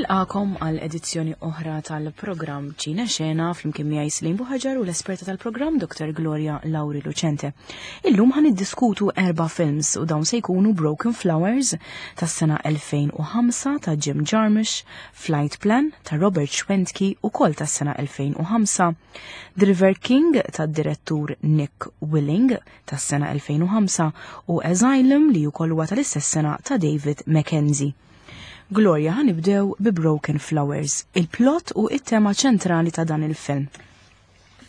Nilqakom għal edizzjoni oħra tal-programm Ċina Xena flimkien miegħi Slim Buħaġar u l-esperta tal-programm Dr. Gloria Lauri Lucente. Illum ħan iddiskutu erba' films u dawn se jkunu Broken Flowers tas-sena 2005 ta' Jim Jarmusch, Flight Plan ta' Robert Schwentke ukoll tas-sena 2005, The River King tad-direttur Nick Willing tas-sena 2005 u Asylum li wkoll huwa tal-istess sena ta' David Mackenzie. Gloria ħanibdew bi Broken Flowers, il-plot u it-tema ċentrali ta' dan il-film.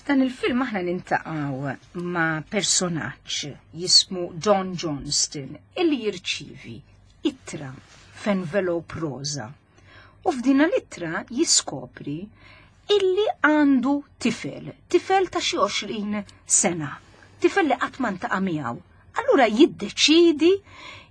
F'dan il-film aħna nintaqgħu ma' personaġġ jismu John Johnston illi jirċivi ittra f'envelope rosa. U f'din l-ittra jiskopri illi għandu tifel, tifel ta' xi 20 sena, tifel li qatt ma ntaqa' miegħu. Allura jiddeċidi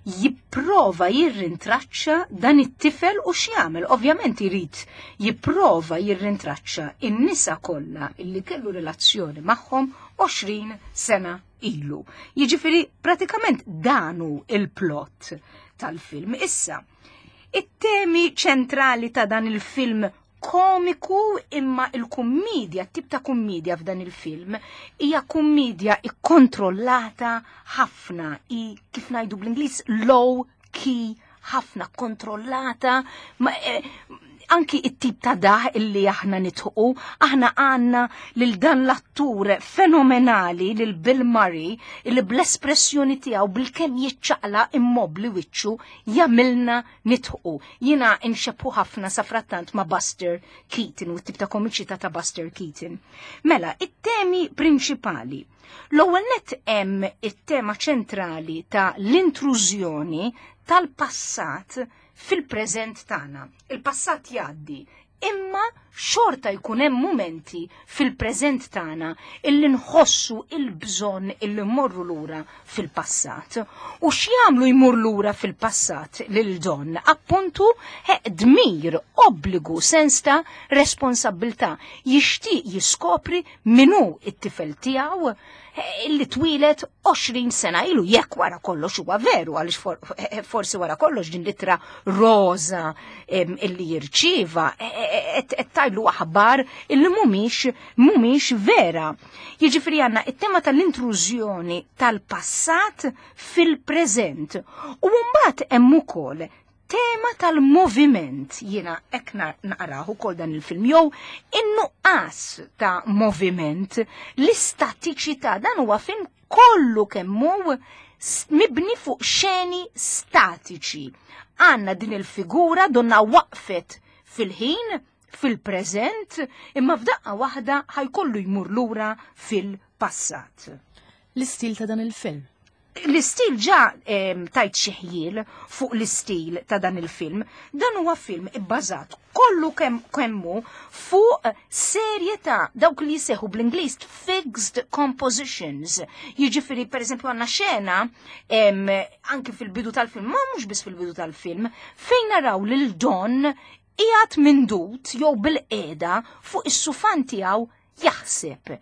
jipprova jirrintraċċa dan it-tifel u x'jagħmel. Ovvjament irid jipprova jirrintraċċa in-nisa kollha illi kellu relazzjoni magħhom 20 sena ilu. Jiġifieri pratikament dan hu il-plot tal-film. Issa, it-temi ċentrali ta' dan il-film komiku imma il-kummedja, tip ta' kummedja f'dan il-film, hija kummedja ikkontrollata ħafna, i kif ngħidu bl-Ingliż low key ħafna kontrollata, ma, eh, anki it-tip ta' daħ illi aħna nitħu, aħna għanna lil dan l-attur fenomenali lil Bill Murray illi bl-espressjoni tiegħu bil-kemm jiċċaqla immobli wiċċu jagħmilna nitħu. Jiena nxebħu ħafna sa frattant ma' Buster Keaton u t-tip ta' komiċità ta' Buster Keaton. Mela, it-temi prinċipali. L-ewwel nett hemm it-tema ċentrali ta' l-intrużjoni tal-passat fil-preżent tagħna. Il-passat jgħaddi, imma xorta jkun hemm mumenti fil-preżent tagħna illi nħossu il-bżonn illi mmorru lura fil-passat. U x'jagħmlu jmur lura fil-passat lil Don? Appuntu dmir, obbligu, sens ta' responsabbiltà. Jixtieq jiskopri min hu it-tifel tiegħu illi twilet 20 sena ilu jekk wara kollox huwa veru għaliex for, eh, forsi wara kollox din litra roża illi jirċieva eh, eh, qed tajlu aħbar illi mhumiex mhumiex vera. Jiġifieri għandna it-tema tal-intrużjoni tal-passat fil-preżent. U mbagħad hemm ukoll tema tal-moviment, jiena hekk naqrahu ukoll dan il-film, jew in-nuqqas ta' moviment, l-istatiċità, dan huwa film kollu kemm hu mibni fuq xeni statiċi. Għanna din il-figura donna waqfet fil-ħin, fil-preżent, imma f'daqqa waħda ħajkollu jmur lura fil-passat. L-istil ta' dan il-film. L-istil ġa tajt xi ħjiel fuq l-istil ta' dan il-film. Dan huwa film ibbażat kollu kemm kemmu fuq serje ta' dawk li jseħu bl-Ingliż fixed compositions. Jiġifieri pereżempju għandna xena anki fil-bidu tal-film, ma mhux biss fil-bidu tal-film, fejn naraw lil Don qiegħed mindut jew bil-qiegħda fuq is-sufan tiegħu jaħseb.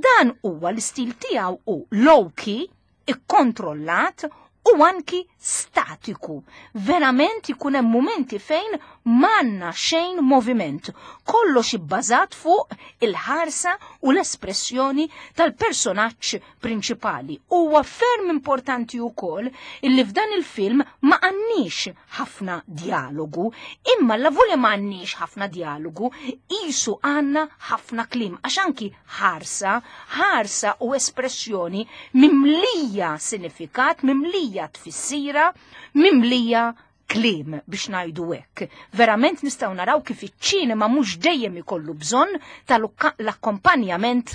Dan huwa l-istil tiegħu u low key, ikkontrollat u anki statiku. Verament ikun hemm mumenti fejn m'għandna xejn moviment. Kollox ibbażat fuq il-ħarsa u l-espressjoni tal-personaġġ prinċipali. Huwa ferm importanti wkoll illi f'dan il-film ma għandniex ħafna dialogu, imma la volja ma għandniex ħafna dialogu, isu għandna ħafna kliem, għax anki ħarsa, ħarsa u espressjoni mimlija sinifikat, mimlija tfissira, mimlija kliem biex ngħidu hekk. Verament nistgħu naraw kif iċ-ċinema mhux dejjem ikollu bżonn tal-akkompanjament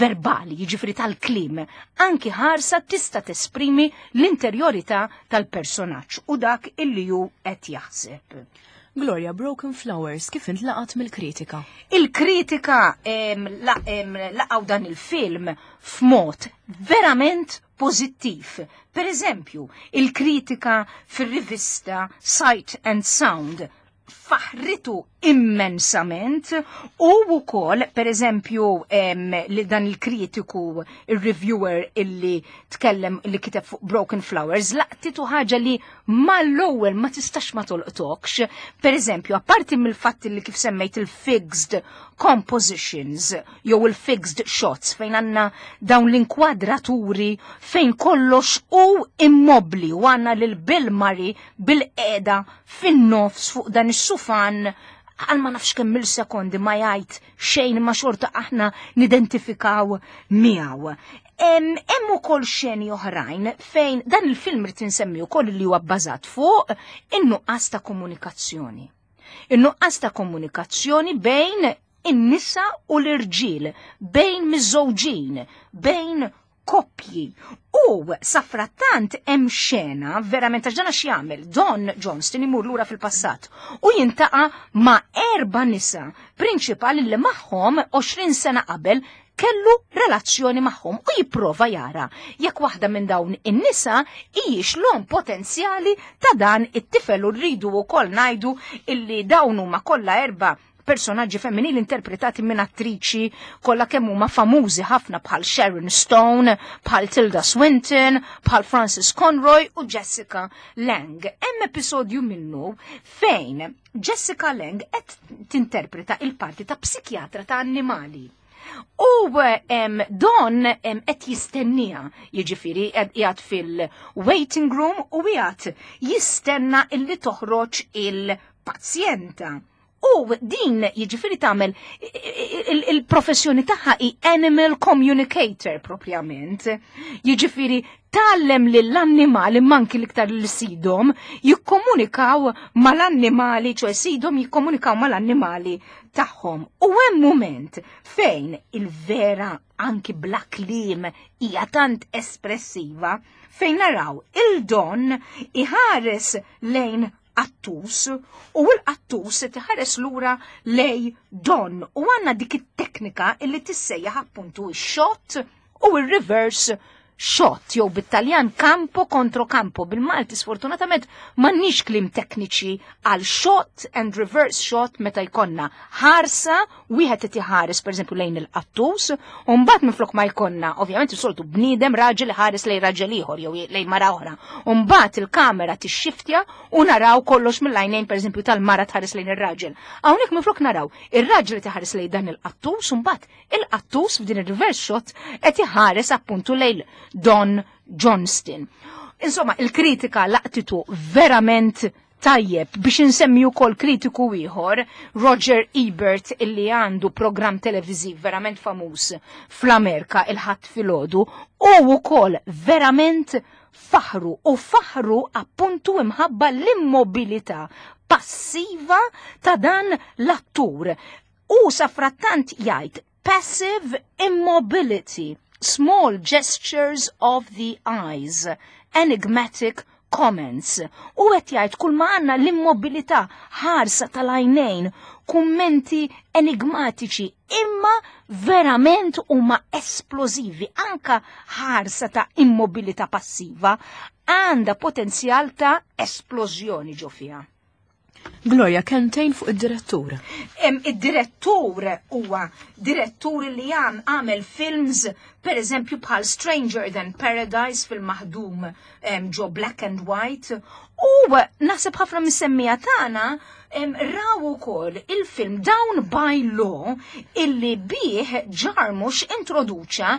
verbali, jiġifieri tal-kliem. Anki ħarsa tista' tesprimi l-interjorità tal-personaġġ u dak illi hu qed jaħseb. Gloria, Broken Flowers kif intlaqat mill-kritika? Il-kritika laqgħu dan il-film f'mod verament pożittiv. Per eżempju, il-kritika fir-rivista Sight and Sound. Faħritu immensament u wkoll pereżempju li dan il-kritiku, il-reviewer illi tkellem li kiteb fuq Broken Flowers, laqtitu ħaġa li mal-ewwel ma tistax ma tolqtokx. Pereżempju, apparti mill-fatt li kif semmejt il-fixed compositions jew il-fixed shots fejn għandna dawn l-inkwadraturi fejn kollox u immobli u għandna lil Bill Murray bil-qeda fin-nofs fuq dan is-sufan għal ma nafx kemm il-sekondi ma jgħid xejn ma xorta aħna nidentifikaw miegħu. Hemm ukoll xeni oħrajn fejn dan il-film rid insemmi wkoll li huwa bbażat fuq in-nuqqas ta' komunikazzjoni. In-nuqqas ta' komunikazzjoni bejn in-nisa u l-irġiel, bejn miżżewġin, bejn koppji. U safrattant hemm xena verament għax dan għax jagħmel Don Johnston imur lura fil-passat u jintaqa' ma' erba' nisa prinċipali li magħhom 20 sena qabel kellu relazzjoni magħhom u jipprova jara jekk waħda minn dawn in-nisa hijiex l-omm potenzjali ta' dan it-tifel u rridu wkoll ngħidu illi dawn huma kollha erba' personaġġi femminili interpretati minn attriċi kollha kemm huma famużi ħafna bħal Sharon Stone, bħal Tilda Swinton, bħal Frances Conroy u Jessica Lange. Hemm episodju minnu fejn Jessica Lange qed tinterpreta il-parti ta' psikjatra ta' annimali. U Don qed jistennija, jiġifieri qiegħed fil-waiting room u qiegħed jistenna illi toħroġ il-pazjenta. U din jiġifieri tagħmel il-professjoni tagħha hi animal communicator propjament. Jiġifieri tgħallem lill-annimali manki l-iktar li sidhom jikkomunikaw mal-annimali, ċoe sidhom jikkomunikaw mal-annimali tagħhom. U hemm mument fejn il-vera anki bla kliem hija tant espressiva fejn naraw il-Don iħares lejn qattus u l-qattus tiħares lura lej Don u għandna dik it-teknika illi tissejjaħ appuntu x-shot u r-reverse shot jew bit-Taljan campo contro campo. Bil-Malti sfortunatament m'għandniex kliem tekniċi għal shot and reverse shot meta jkollna ħarsa wieħed qed iħares pereżempju lejn il-qattus u mbagħad minflok ma jkollna ovvjament is-soltu bniedem raġel iħares lejn raġel ieħor jew lejn mara oħra. U mbagħad il-kamera tixxiftja u naraw kollox mill-għajnejn pereżempju tal-mara tħares lejn ir-raġel. Hawnhekk minflok naraw ir-raġel qed iħares lejn dan il-qattus u mbagħad il-qattus f'din ir-reverse shot qed iħares appuntu lejn Don Johnston. Insomma, il-kritika laqtitu verament tajjeb. Biex insemmi wkoll kritiku ieħor, Roger Ebert, illi għandu programm televiżiv verament famuż fl-Amerika il-Ħadd filgħodu, u wkoll verament faħru u faħru appuntu imħabba l-immobilità passiva ta' dan l-attur. U safrattant jgħid passive immobility, small gestures of the eyes, enigmatic comments. U qed jgħid kull ma għandna l-immobilità, ħarsa tal-għajnejn, kummenti enigmatiċi, imma verament huma esplożivi. Anka ħarsa ta' immobilità passiva għandha potenzjal ta' esplożjoni ġo fiha. Gloria, kelmtejn fuq id-direttur. Id-direttur huwa direttur li għamel films, per eżempju, bħal Stranger Than Paradise, fil-maħdum ġo black and white. U naħseb ħafna mis-semmija tagħna raw ukoll il-film Down by Law illi bih Jarmusch introduċa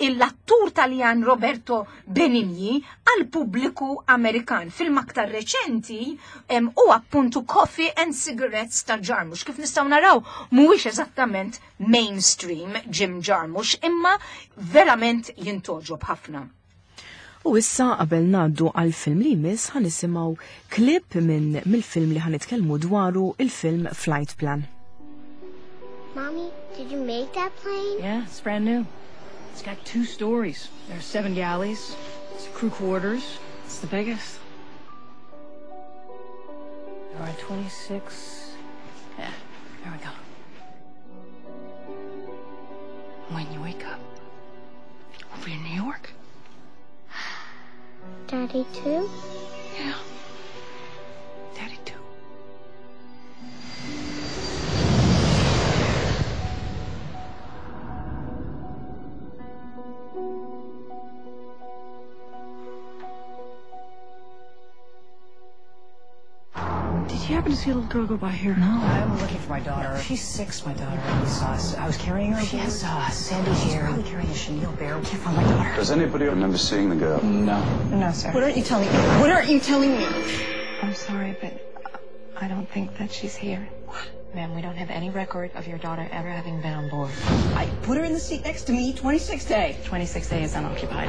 l-attur Taljan Roberto Benigni għal pubbliku Amerikan. Film aktar reċenti u appuntu Coffee and Cigarettes ta' Jarmusch. Kif nistgħu naraw, mhuwiex eżattament mainstream Jim Jarmusch, imma verament jintogħġob ħafna. U issa qabel ngħaddu għal film li jmiss ħa nisimgħu klip minn mill-film li ħa nitkellmu dwaru, il-film Flight Plan. Mommy, did you make that plane? Yeah, it's brand new. It's got 2 stories. There are 7 galleys. It's crew quarters. It's the biggest. There are 26. Yeah, there we go. When you wake up, we'll be in New York. Daddy too? Yeah. Daddy too. happen to see a little girl go by here? No. I'm looking for my daughter. She's 6, my daughter. We saw us. I was carrying her. She has sandy hair. She's probably carrying a chenille bear. We can't find my daughter. Does anybody remember seeing the girl? No. No, sir. What aren't you telling me? What aren't you telling me? I'm sorry, but I don't think that she's here. What? Ma'am, we don't have any record of your daughter ever having been on board. I put her in the seat next to me, 26A. 26A is unoccupied.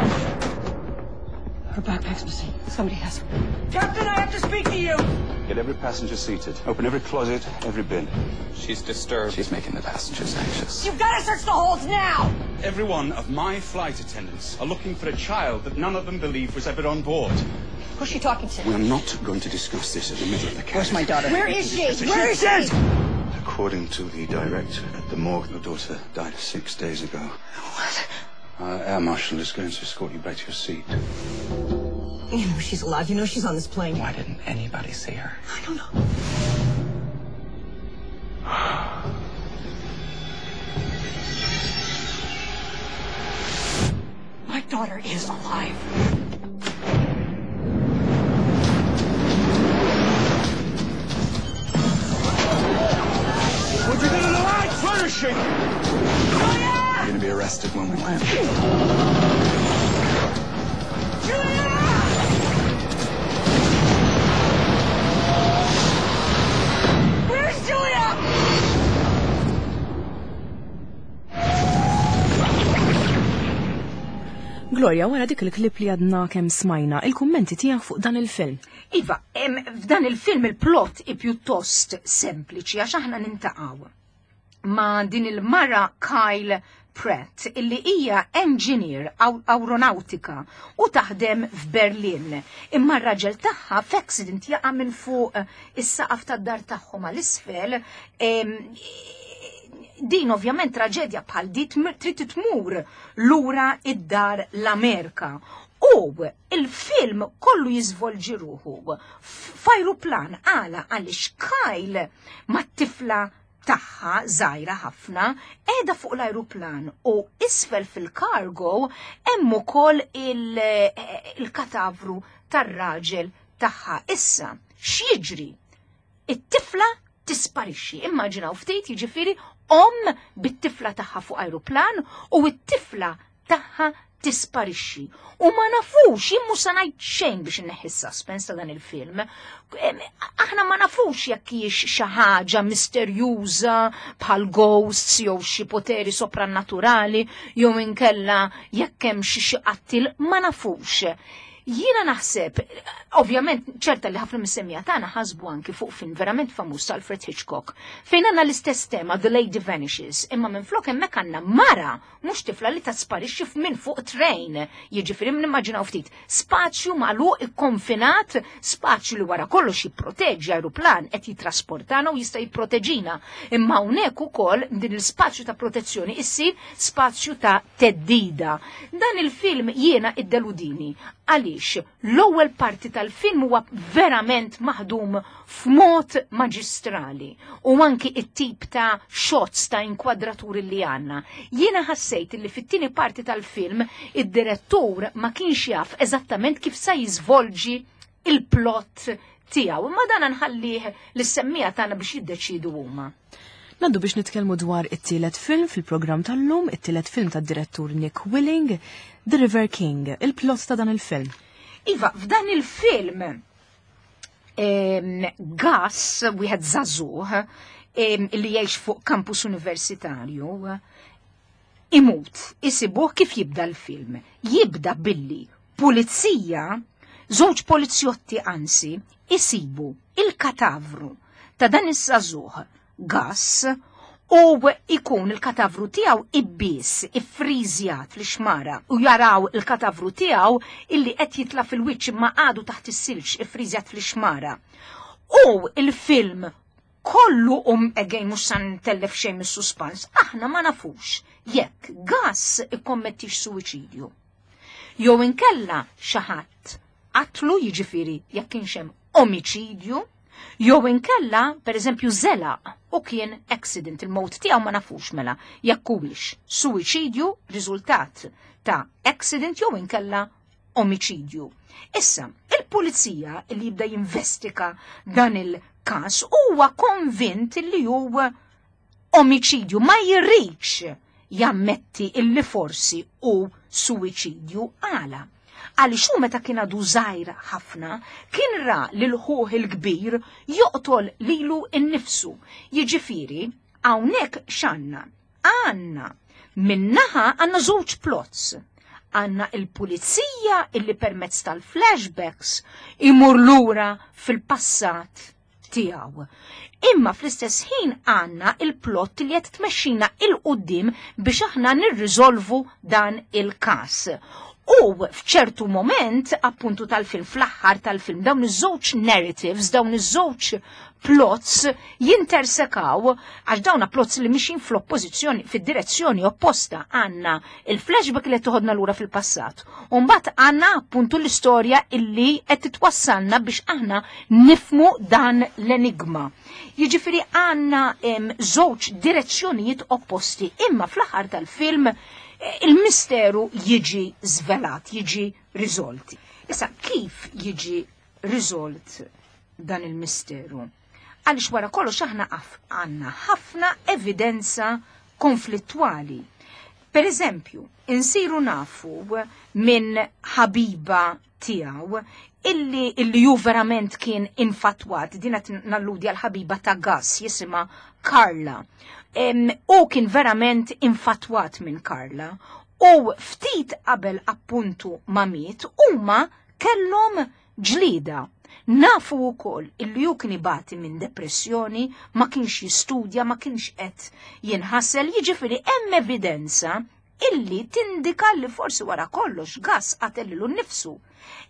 Her backpack's missing. Somebody has her. Captain, I have to speak to you! Get every passenger seated. Open every closet, every bin. She's disturbed. She's making the passengers anxious. You've got to search the holds now! Every one of my flight attendants are looking for a child that none of them believe was ever on board. Who's she talking to? We are not going to discuss this in the middle of the cabin. Where's my daughter? Where is she? Where is she? According to the director at the morgue, your daughter died 6 days ago. What? Our air marshal is going to escort you back to your seat. You know she's alive. You know she's on this plane. Why didn't anybody see her? I don't know. My daughter is alive. Would you go to the right? Flourishing! You're gonna be arrested when we land. Julia! Where's Julia? Gloria, wara dik il-klip li għadna kemm smajna, il-kummenti tiegħek fuq dan il-film. Iva, f'dan il-film il-plot i pjuttost sempliċi għax aħna nintaqgħu ma' din il-mara Kyle Pratt illi hija engineer aeronautika u taħdem f'Berlin. Imma r-raġel tagħha f'accident jaqa' minn fuq is-saqaf tad-dar tagħhom għal isfel. Din ovvjament traġedja bħal di trid tmur lura id-dar l-Amerika. U il-film kollu jiżvolġi ruħu f'ajruplan għala għaliex Kyle mat-tifla tagħha żgħira ħafna qiegħda fuq l-ajruplan u isfel fil-kargo hemm ukoll il-katavru tar-raġel tagħha. Issa, x'jiġri? It-tifla tisparixxi. Immaġinaw ftit, jiġifieri omm bit-tifla tagħha fuq ajruplan u t-tifla tagħha tisparixxi. U ma nafux, jien mhux se ngħid xejn biex inneħħi s-suspense ta' dan il-film. Aħna ma nafux jekk hijiex xi ħaġa misterjuża bħal ghosts jew xi poteri soprannaturali jew inkella jekk hemm xi qattil, ma nafux. Jiena naħseb, ovvjament, ċerta li ħafna mis-semmiegħa tagħna ħasbu anki fuq film verament famuż ta' Alfred Hitchcock, fejn għandna l-istess tema, The Lady Vanishes, imma minflok hemmhekk għandna mara, mhux tifla li tasparixxi minn fuq train. Jiġifieri nimmaġinaw ftit, spazju magħluq ikkonfinat, spazju li wara kollox jipproteġi ajruplan qed jitrasportana u jista' jipproteġina. Imma hawnhekk ukoll din l-spazju ta' protezzjoni issir spazju ta' teddida. Dan il-film jiena iddeludini għaliex l-ewwel parti tal-film huwa verament maħdum f'mod maġistrali u anki it-tip ta' shots ta' inkwadraturi li għandna. Jiena ħassejt li fit-tieni parti tal-film id-direttur ma kienx jaf eżattament kif sa jiżvolġi il-plot tiegħu, imma dan nħallih lis-semmiegħa tagħna biex jiddeċidu huma. Naddu biex nitkellmu dwar it-tielet film fil-programm tal-lum, it-tielet film tad-direttur Nick Willing, The River King, il-plot ta' dan il-film. Iva, f'dan il-film, Gus, wieħed żagħżugħ, li jgħix fuq kampus universitarju, imut, isibuh kif jibda l-film. Jibda billi pulizija, żewġ polizjotti anzi, isibu il-katavru ta' dan iż-żagħżugħ Gus u ikun il-katavru tiegħu ibbies, iffriżjat fl-ixmara u jaraw il-katavru tiegħu illi qed jitla' fil-wiċċ imma għadu taħt is-silġ iffriżjat fl-ixmara. U il-film kollu again mhux sa ntellef xejn mis-suspans, aħna ma nafux jekk Gus ikkommettix suwiċidju. Jew inkella xi ħadd qatlu, jiġifieri jekk kienx hemm omiċidju, jew inkella, per eżempju, żelaq u kien accident, il-mowt tiegħu ma nafux mela jekk huwiex suwiċidju riżultat ta' accident jew inkella omiċidju. Issa, il-pulizija li jibda jinvestika dan il-każ il-każ huwa konvint li hu omiċidju, ma jridx jammetti illi forsi hu suwiċidju. Għala? Għaliex hu meta kien għadu żgħir ħafna kien ra lil ħuh il-kbir joqtol lilu nnifsu. Jiġifieri hawnhekk x'għandna? Għandna minnaħa għandna żewġ plots. Għandna il-pulizija illi permezz tal-flashbacks imur lura fil-passat tiegħu. Imma fl-istess ħin għandna il-plot li qed tmexxina il quddiem biex aħna nirriżolvu dan il-każ. U f'ċertu moment, appuntu tal-film, fl-aħħar tal-film, dawn iż-żewġ narratives, dawn iż-żewġ plots jintersekaw, għax dawna plots li mixin fl-oppożizzjoni, fid-direzzjoni opposta. Għandna il-flashback li qed toħodna lura fil-passat. U mbagħad għandna appuntu l-istorja illi qed titwassalna biex aħna nifmu dan l-enigma. Jiġifieri għandna żewġ direzzjonijiet opposti, imma fl-aħħar tal-film il-misteru jiġi żvelat, jiġi riżolt. Issa, kif jiġi riżolt dan il-misteru? Għaliex wara kollox aħna għandna ħafna evidenza konflittwali. Per eżempju, insiru nafu minn ħabiba tiegħu illi ju verament kien infatwat, din qed nalludi għal ħabiba ta' Gus jisimha Carla. U kien verament infatwat minn Carla u ftit qabel appuntu ma miet huma kellhom ġlida. Nafu wkoll illi hu kien ibati minn depressjoni, ma kienx jistudja, ma kienx qed jinħasel, jiġifieri hemm evidenza illi tindika li forsi wara kollox Gus qatel lilu nnifsu.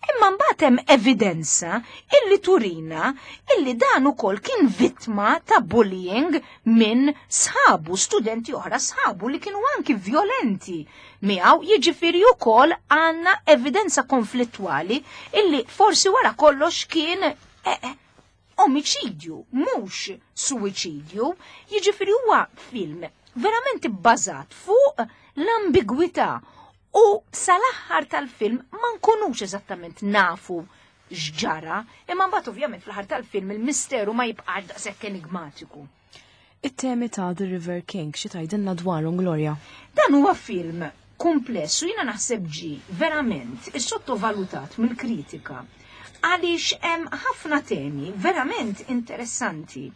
Imma mbagħad hemm evidenza illi turina illi dan ukoll kien vittma ta' bullying minn sħabu, studenti oħra sħabu li kienu anki violenti miegħu, jiġifieri wkoll għandna evidenza konflittwali illi forsi wara kollox kien omiċidju, mhux suwiċidju, jiġifieri huwa film verament ibbażat fuq l-ambigwità u sal-aħħar tal-film ma nkunux eżattament nafu x'ġara, imma mbagħad ovvjament fl-aħħar tal-film il-misteru ma jibqax daqshekk enigmatiku. It-temi ta' The River King, xi tgħidilna dwarhom, Gloria? Dan huwa film kumpless u jiena naħseb ġie verament issottovalutat mill-kritika għaliex hemm ħafna temi verament interessanti.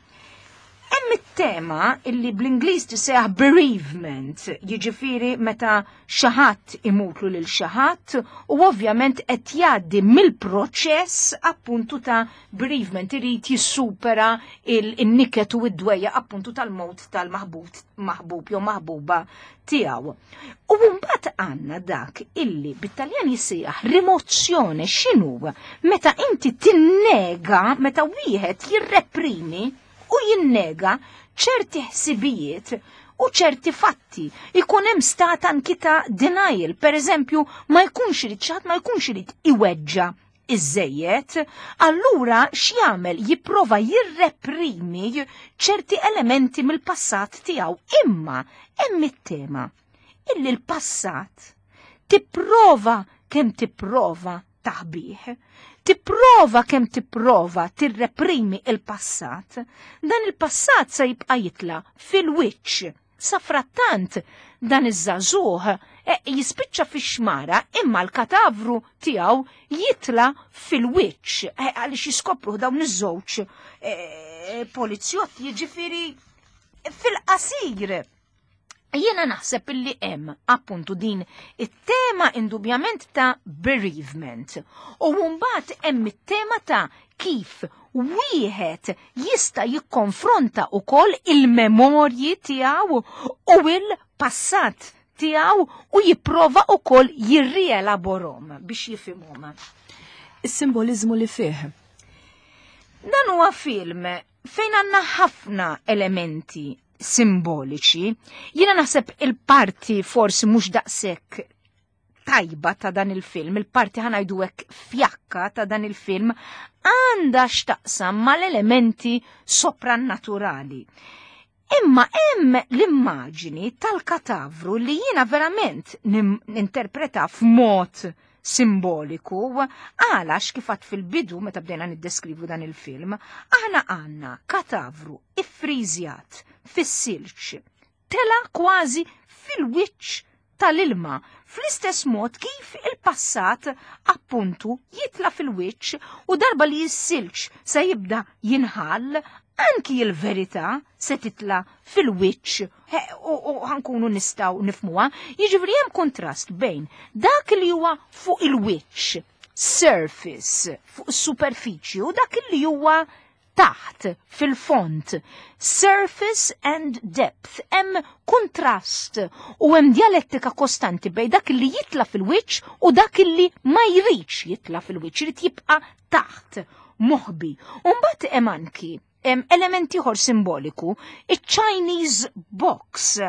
Hemm it-tema illi bl-Ingliż tisejjaħ bereavement, jiġifieri meta xi ħadd imutlu lil xi ħadd u ovvjament qed jgħaddi mill-proċess appuntu ta' bereavement, irid jissupera il-niket u id-dwejja appuntu tal-mewt tal-maħbub maħbub jew maħbuba tiegħu. U mbagħad għandna dak illi bit-Taljan jissejjaħ rimozzjone, x'inhu? Meta inti tinnega, meta wieħed jirreprimi u jinnega ċerti ħsibijiet u ċerti fatti. Ikun hemm stat anki ta' denial, per eżempju, ma jkunx irid xi ħadd ma jkunx irid iweġġa' iżżejjed, allura x'jagħmel? Jipprova jirreprimi ċerti elementi mill-passat tiegħu. Imma hemm it-tema illi l-passat tipprova kemm tipprova taħbih, tipprova kemm tipprova tirreprimi il-passat, dan il-passat se jibqa' jitla' fil-wiċċ. Safrattant dan iż-żagħżugħ jispiċċa fix-xmara imma l-katavru tiegħu jitla' fil-wiċċ għaliex jiskopruh dawn iż-żewġ polizjotti, jiġifieri fil-qasir. Jiena naħseb illi hemm appuntu din it-tema indubjament ta' bereavement u mbagħad hemm it-tema ta' kif wieħed jista' jikkonfronta wkoll il-memorji tiegħu u il-passat tiegħu u jipprova wkoll jirrielaborhom biex jifhimhom. Is-simboliżmu li fih. Dan huwa film fejn għandna ħafna elementi simboliċi. Jiena naħseb il-parti forsi mhux daqshekk tajba ta' dan il-film, il-parti ħanajdu hekk fjakka ta' dan il-film, għandha x'taqsam mal-elementi soprannaturali. Imma hemm l-immaġini tal-katavru li jiena verament ninterpreta f'mod simboliku għalax kif għadt fil-bidu meta bdejna niddeskrivu dan il-film, aħna għandna katavru iffriżjat fis-silġ tela kważi fil-wiċċ tal-ilma fl-istess mod kif il-passat appuntu jitla fil-wiċċ u darba li s-silġ se jibda jinħall anki il-verità se titla fil-wiċċ u ħankunu nistgħu nifmuha. Jiġifieri hemm kontrast bejn dak li huwa fuq il-wiċċ, surface, fuq is-superfiċji u dak li huwa taħt fil-font. Surface and depth. Hemm kontrast u hemm dialettika kostanti bejn dak li jitla fil-wiċċ u dak li ma jridx jitla fil-wiċċ, jrid jibqa' taħt moħbi. U mbagħad hemm anki element ieħor simboliku, il-Chinese box.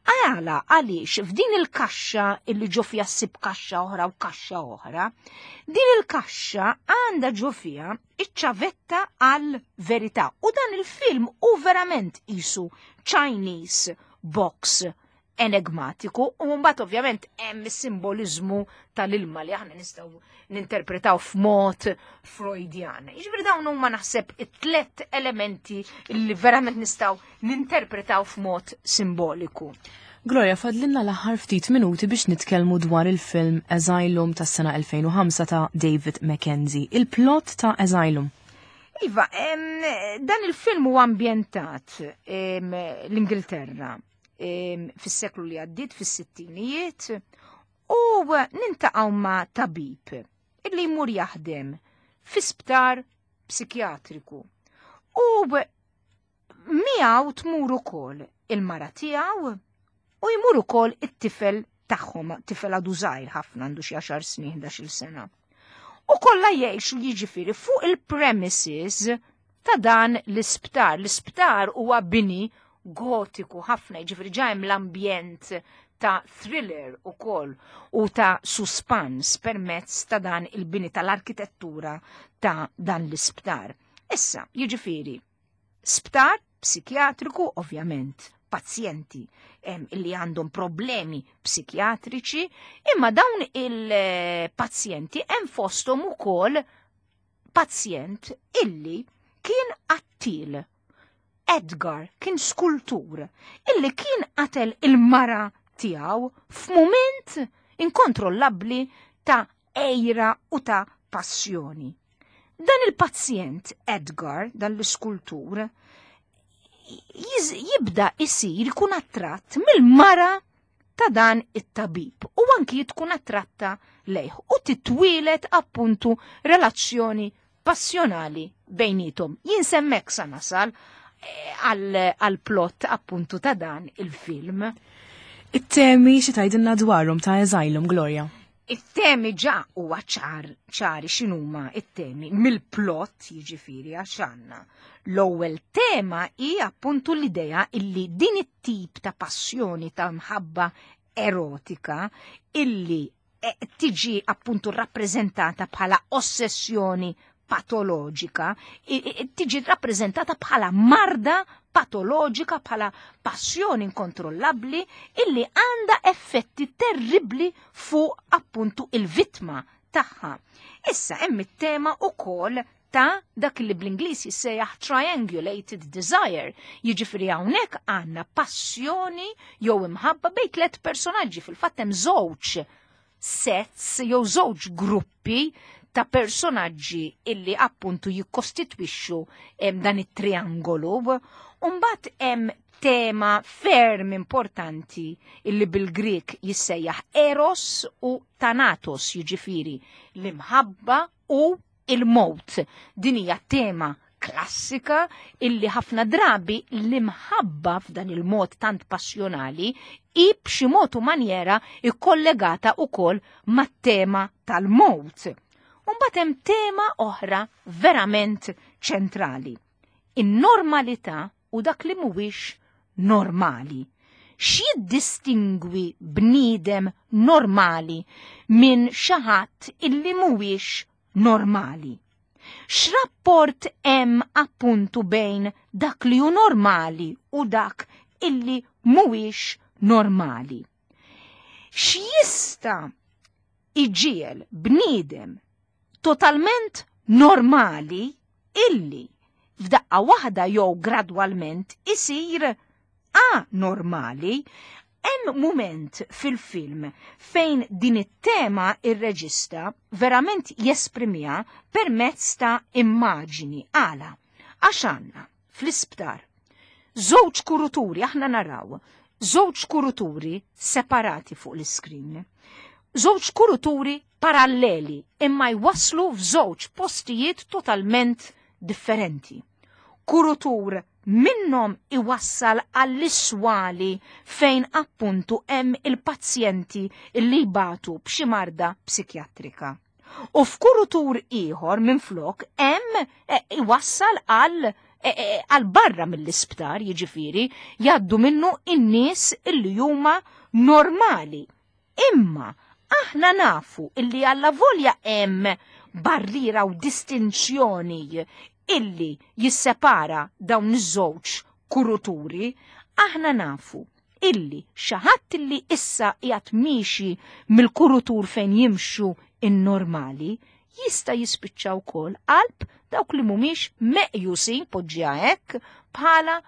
Għala għaliex f'din il-kaxxa illi ġo fiha ssib kaxxa oħra u kaxxa oħra, din il-kaxxa għandha ġo fiha iċ-ċavetta għal verità. U dan il-film u verament isu Chinese box enigmatiku u mbagħad ovvjament hemm is-simbolizmu tal-ilma li aħna nistgħu ninterpretaw f'mod Freudjan. Jiġifieri dawn huma naħseb it-tlet elementi li verament nistgħu ninterpretaw f'mod simboliku. Gloria, fadlinna l-aħħar ftit minuti biex nitkellmu dwar il-film Asylum tas-sena 2005 ta' David Mackenzie. Il-plot ta' Asylum. Iva, dan il-film huwa ambjentat l-Ingilterra fis-seklu li għaddiet fis-sittinijiet u nintaqgħu ma' tabib illi jmur jaħdem fi sptar psikjatriku. U miegħu tmur ukoll il-mara tiegħu u jmur ukoll it-tifel tagħhom, tifel għadu żgħir ħafna għandu xi 10 snin, 11-il sena. U kollha jgħixu jiġifieri fuq il-premises ta' dan l-isptar. L-isptar huwa bini gotiku ħafna, jiġifieri ġa hemm l-ambjent ta' thriller ukoll u ta' suspans permezz ta' dan il-bini tal-arkitettura ta' dan l-isptar. Issa, jiġifieri, sptar psikjatriku ovvjament pazjenti illi għandhom problemi psikjatriċi, imma dawn il-pazjenti hemm fosthom ukoll pazjent illi kien qattil. Edgar kien skultur illi kien qatel il-mara tiegħu f'mument inkontrollabbli ta' għira u ta' passjoni. Dan il-pazjent Edgar, dan l-iskultur, jibda isir ikun attratt mill-mara ta' dan it-tabib u anki tkun attratta lejh u titwieled appuntu relazzjoni passjonali bejnietom. Jien s'hemmhekk sa nasal għal plot appuntu ta' dan il-film. It-temi xi tgħidilna dwarhom ta' Asylum, Gloria? It-temi ġa huwa ċar ċari x'inhuma it-temi mill-plot jiġifieri għax għandna. L-ewwel tema hi appuntu l-idea illi din it-tip ta' passjoni ta' mħabba erotika illi tiġi appuntu rappreżentata bħala ossessjoni patoloġika, tiġi rappreżentata bħala marda patoloġika, bħala passjoni inkontrollabbli illi għandha effetti terribli fuq appuntu il-vittma tagħha. Issa hemm it-tema ukoll ta' dak li bl-Ingliż jissejjaħ triangulated desire. Jiġifieri hawnhekk għandna passjoni jew imħabba bejn tliet personaġġi fil-fatt hemm żewġ sets jew żewġ gruppi ta' personaġġi illi appuntu jikkostitwixxu dan it-triangolu. Mbagħad hemm tema ferm importanti illi bil-Grek jissejjaħ Eros u Thanatos, jiġifieri l-imħabba u il-mowt. Din hija tema klassika illi ħafna drabi l-imħabba f'dan il-mod tant passjonali i b'xi mod u manjera ikkollegata ukoll mat-tema tal-mowt. Mbagħad hemm tema oħra verament ċentrali. In-normalità u dak li mhuwiex normali. X'jiddistingwi bniedem normali minn xi ħadd illi mhuwiex normali? X'rapport hemm appuntu bejn dak li hu normali u dak illi mhuwiex normali? X'jista' iġiegħel bniedem totalment normali illi f'daqqa waħda jew gradwalment isir anormali. Hemm mument fil-film fejn din it-tema ir-reġista verament jesprimiha permezz ta' immaġini. Għala? Għax għandna fl-isptar żewġ kuruturi, aħna naraw żewġ kuruturi separati fuq l-iskrin. Żewġ kuruturi paralleli imma jwasslu f'żewġ postijiet totalment differenti. Kurutur minnhom iwassal għall-iswali fejn appuntu hemm il-pazjenti li jbatu b'xi marda psikjatrika. U f'kurutur ieħor minflok hemm eh, iwassal għal eh, eh, għal barra mill-isptar, jiġifieri jgħaddu minnu in-nies illi huma normali. Imma aħna nafu illi alla volja hemm barriera u distinzjoni illi jissepara dawn iż-żewġ kuruturi, aħna nafu illi xi ħadd illi issa qiegħed miexi mill-kurutur fejn jimxu in-normali jista' jispiċċa wkoll qalb dawk li mhumiex meqjusin poġġiha hekk bħala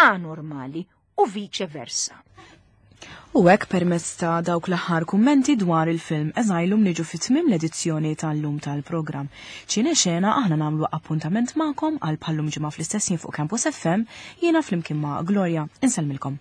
anormali u viċe versa. U hekk permezz ta' dawk l-aħħar kummenti dwar il-film Asylum niġu fi tmiem l-edizzjoni tal-lum tal-programm. Ċine Xena aħna nagħmlu appuntament magħkom għal bħallum ġimgħa fl-istess ħin fuq Campus FM jiena flimkien ma' Gloria. Insellmilkom.